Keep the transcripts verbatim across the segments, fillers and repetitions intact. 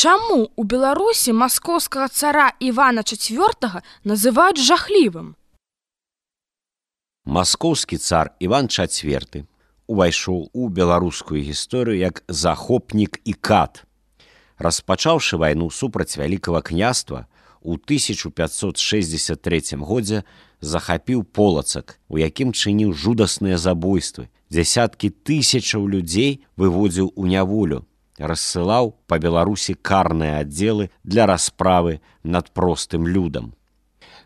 Чаму у Беларусі маскоўскага цара Івана чацвёртага называюць жахлівым? Маскоўскі цар Іван чацвёрты увайшоў у беларускую гісторыю як захопнік і кат. Распачаўшы вайну супраць вялікага княства, у тысяча пятьсот шэсцьдзесят трэцім годзе захапіў Полацак, у якім чыніў жудасныя забойствы. Дзясяткі тысячаў людзей выводзіў у няволю, рассылаў па Беларусі карныя аддзелы для расправы над простым людам.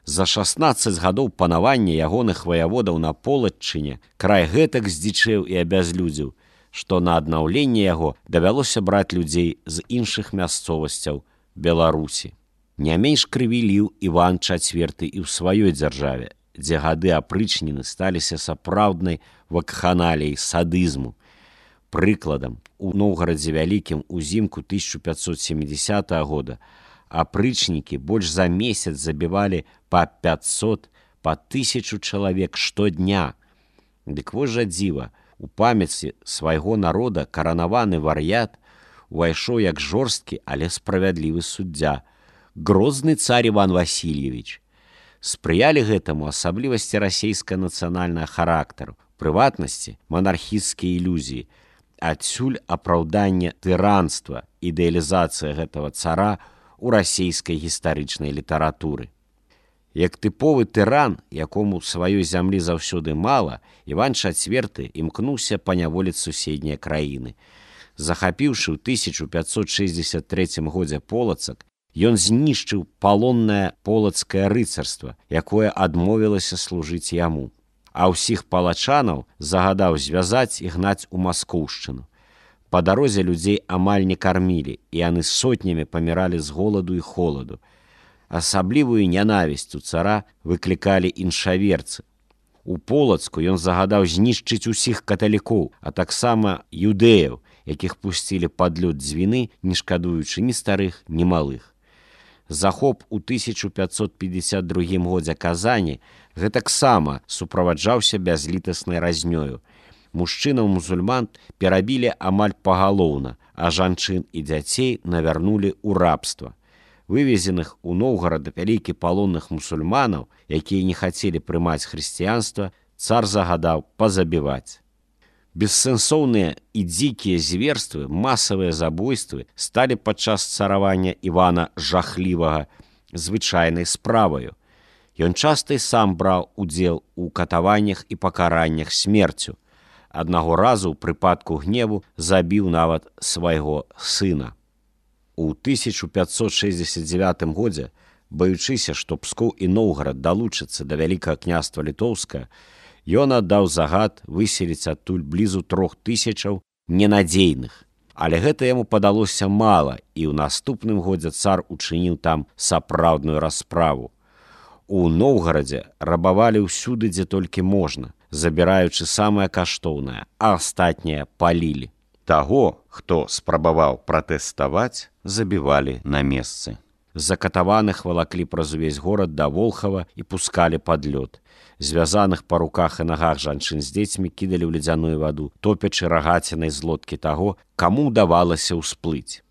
За шаснаццаць гадоў панавання ягоных ваяводаў на Полаччыне край гэтак здзічэў і абязлюдзіў, што на аднаўленне яго давялося браць людзей з іншых мясцовасцяў Беларусі. Не менш крыві ліў Іван чацвёрты і ў сваёй дзяржаве, дзе гады апрычніны сталіся сапраўднай вакханаліяй садызму. Прыкладам, у Новгарадзе Вялікім узімку тысяча пятьсот семидесятого года апрычнікі больш за месяц забівалі па пятьсот, па тысячу чалавек штодня. Дык вось жа дзіва, у памяці свайго народа каранаваны вар'ят увайшоў як жорсткі, але справядлівы суддзя, грозны цар Іван Васильевич. Спрыялі гэтаму асаблівасці расейска-нацыянальнага характару, прыватнасці манархісцкія ілюзіі, адсюль апраўданне тыранства, ідэалізацыя гэтага цара у расейскай гістарычнай літаратуры. Як тыповы тыран, якому сваёй зямлі заўсёды мала, Іван чацвёрты імкнуўся паняволіць суседнія краіны. Захапіўшы ў тысяча пятьсот шэсцьдзесят трэцім годзе Полацак, ён знішчыў палоннае полацкае рыцарства, якое адмовілася служыць яму. А ўсіх палачанаў загадаў звязаць і гнаць у Маскоўшчыну. Па дарозе людзей амаль не кармілі, і яны сотнямі паміралі з голаду і холаду. Асаблівую нянавісць у цара выклікалі іншаверцы. У Полацку ён загадаў знішчыць усіх каталікоў, а таксама юдэяў, якіх пусцілі пад лёд дзвіны, не шкадуючы ні старых, ні малых. Захоп у тысяча пятьсот пятьдесят другім годзе Казані гэтаксама суправаджаўся бязлітаснай разнёю. Мужчынаў-мусульман перабілі амаль пагалоўна, а жанчын і дзяцей навярнулі ў рабства. Вывезеных у Новгарад вялікі палонных мусульманаў, якія не хацелі прымаць хрысціянства, цар загадаў пазабіваць. Бессэнсоўныя і дзікія зверствы, масавыя забойствы сталі падчас царавання Івана жахлівага звычайнай справаю. Ён часта і сам браў удзел у катаваннях і пакараннях смерцю. Аднаго разу ў прыпадку гневу забіў нават свайго сына. У тысяча пятьсот шэсцьдесят дзевятым годзе, баючыся, што Пскоў і Новгарад далучацца да Вялікага княства Літоўскага, ён аддаў загад выселіць адтуль блізу трох тысячаў ненадзейных. Але гэта яму падалося мала, і ў наступным годзе цар учыніў там сапраўдную расправу. У Новгарадзе рабавалі ўсюды, дзе толькі можна, забіраючы самае каштоўнае, а астатняе палілі. Таго, хто спрабаваў пратэставаць, забівалі на месцы. Закатаваных валаклі праз увесь горад да Волхава і пускалі пад лёд. Звязаных па руках і нагах жанчын з дзецьмі кідалі ў ледзяную ваду, топячы рагацінай з лодкі таго, каму ўдавалася ўсплыць.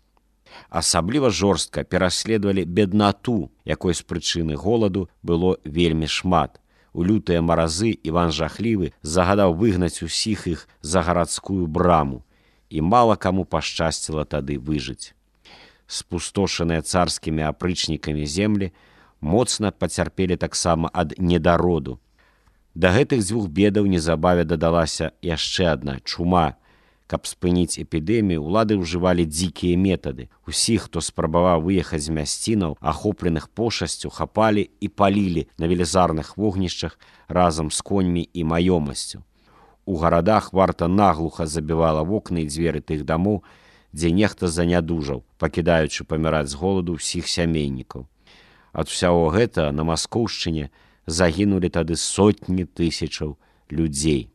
Асабліва жорстка пераследавалі беднату, якой з прычыны голаду было вельмі шмат. У лютыя маразы Іван жахлівы загадаў выгнаць усіх іх за гарадскую браму, і мала каму пашчасціла тады выжыць. Спустошаныя царскімі апрычнікамі землі моцна пацярпелі таксама ад недароду. Да гэтых дзвюх бедаў незабаве дадалася яшчэ адна чума. Каб спыніць эпідэмію, улады ўжывалі дзікія метады. Усіх, хто спрабаваў выехаць з мясцінаў, ахопленых пошасцю, хапалі і палілі на велізарных вогнішчах разам з коньмі і маёмасцю. У гарадах варта наглуха забівала вокны і дзверы тых дамоў, дзе нехта занядужаў, пакідаючы паміраць з голаду ўсіх сямейнікаў. Ад усяго гэта на Маскоўшчыне загінулі тады сотні тысячаў людзей.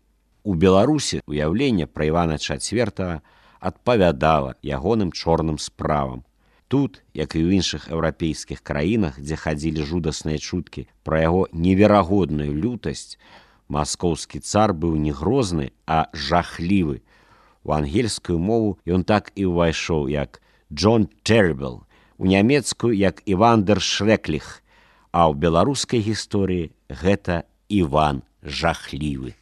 У Беларусі уяўленне пра Івана чацвёртага адпавядала ягоным чорным справам. Тут, як і ў іншых еўрапейскіх краінах, дзе хадзілі жудасныя чуткі пра яго неверагодную лютасць, маскоўскі цар быў не грозны, а жахлівы. У ангельскую мову ён так і ўвайшоў як Джон Тэрбл, у нямецкую як Іван дер Шрэкліх, а ў беларускай гісторыі гэта Іван Жахлівы.